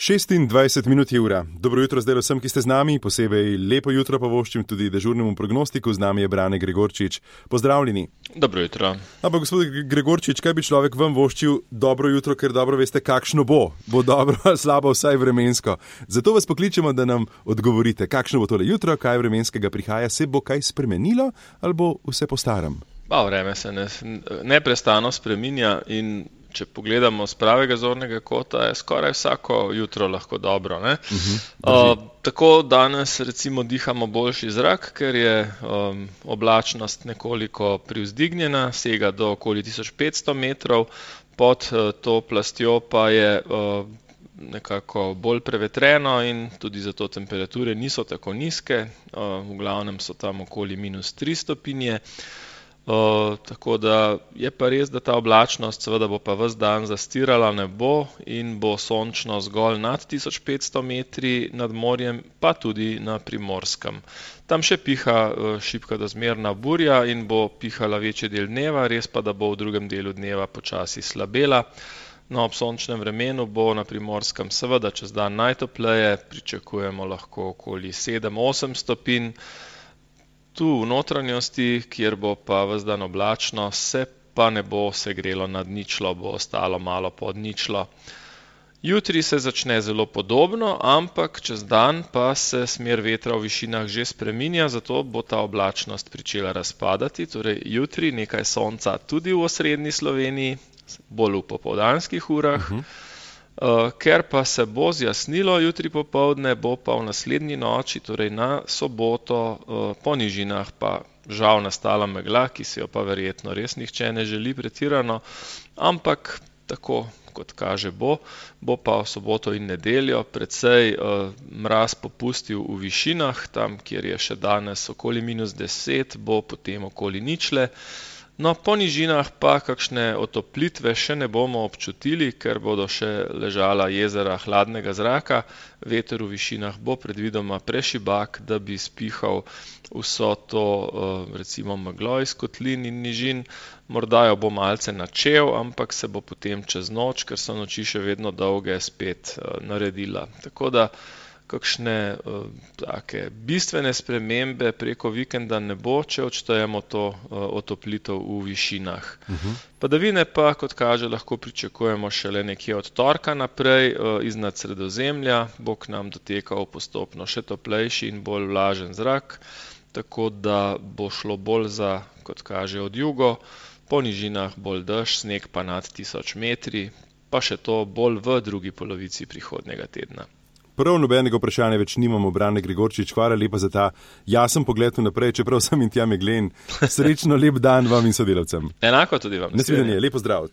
26 minut je ura. Dobro jutro zdaj vsem, ki ste z nami, posebej lepo jutro pa voščim tudi dežurnemu prognostiku, z nami je Brane Gregorčič. Pozdravljeni. Dobro jutro. Ampak gospod Gregorčič, kaj bi človek vam voščil dobro jutro, ker dobro veste, kakšno bo? Bo dobro ali slabo, vsaj vremensko. Zato vas pokličemo, da nam odgovorite, kakšno bo tole jutro, kaj vremenskega prihaja, se bo kaj spremenilo ali bo vse po starem? Vreme se neprestano spreminja in če pogledamo z pravega zornega kota, je skoraj vsako jutro lahko dobro. Tako danes recimo dihamo boljši zrak, ker je oblačnost nekoliko privzdignjena, sega do okoli 1500 metrov, pod to plastjo pa je nekako bolj prevetreno in tudi zato temperature niso tako nizke, v glavnem so tam okoli -3 stopinje. Tako da je pa res, da ta oblačnost seveda bo pa ves dan zastirala nebo in bo sončno zgolj nad 1500 metri nad morjem, pa tudi na Primorskem. Tam še piha šibka do zmerna burja in bo pihala večji del dneva, res pa, da bo v drugem delu dneva počasi slabela. No, ob sončnem vremenu bo na Primorskem seveda čez dan najtopleje, pričakujemo lahko okoli 7-8 stopinj. Tu v notranjosti, kjer bo pa ves dan oblačno, se pa ne bo segrelo nad ničlo, bo ostalo malo pod ničlo. Jutri se začne zelo podobno, ampak čez dan pa se smer vetra v višinah že spreminja, zato bo ta oblačnost pričela razpadati. Torej jutri nekaj sonca tudi v osrednji Sloveniji, bolj v popoldanskih urah. Ker pa se bo zjasnilo jutri popoldne, bo pa v naslednji noči, torej na soboto, po nižinah pa žal nastala megla, ki si jo pa verjetno res nihče ne želi pretirano, ampak tako kot kaže bo pa v soboto in nedeljo precej mraz popustil v višinah, tam kjer je še danes okoli -10, bo potem okoli ničle. No, po nižinah pa kakšne otoplitve še ne bomo občutili, ker bodo še ležala jezera hladnega zraka. Veter v višinah bo predvidoma prešibak, da bi spihal vso to recimo meglo iz kotlin in nižin. Morda jo bo malce načel, ampak se bo potem čez noč, ker so noči še vedno dolge, spet naredila. Tako da kakšne take bistvene spremembe preko vikenda ne bo, če odštejemo to otoplitev v višinah. Padavine pa, kot kaže, lahko pričakujemo šele nekje od torka naprej, iznad Sredozemlja, bo k nam dotekal postopno še toplejši in bolj vlažen zrak, tako da bo šlo bolj za, kot kaže, od jugo, po nižinah bolj dež, sneg pa nad 1000 metri, pa še to bolj v drugi polovici prihodnjega tedna. Prav nobenega vprašanja več nimamo, Brane Gregorčič, hvala lepa za ta jasen pogled vnaprej, čeprav sem in tja meglen. Srečno lep dan vam in sodelavcem. Enako tudi vam. Nasvidenje, lepo zdrav.